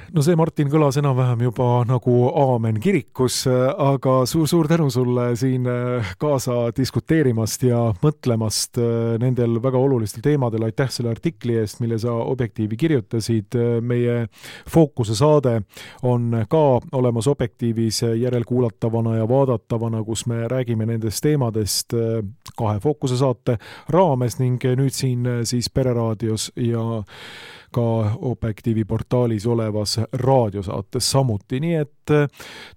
No see, Martin, kõlas enam-vähem juba nagu aamen kirikus, aga suur-suur tänu sulle siin kaasa diskuteerimast ja mõtlemast nendel väga olulistel teemadel. Aitäh selle artikli eest, mille sa Objektiivi kirjutasid. Meie fookuse saade on ka olemas Objektiivis järelkuulatavana ja vaadatavana, kus me räägime nendest teemadest kahe fookuse saate raames ning nüüd siin siis Pereraadios ja ka Objektiivi portaalis olevas raadiosaates samuti. Nii et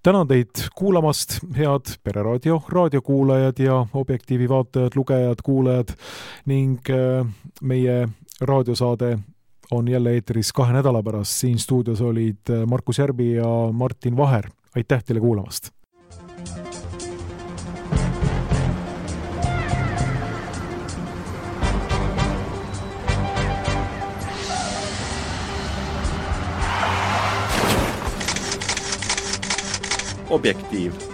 tänan teid kuulamast, head Pereraadio raadiokuulajad ja Objektiivi vaatajad, lugejad, kuulajad ning meie raadiosaade on jälle eetris kahe nädala pärast. Siin stuudios olid Markus Järbi ja Martin Vaher. Aitäh teile kuulamast! Objektiiv.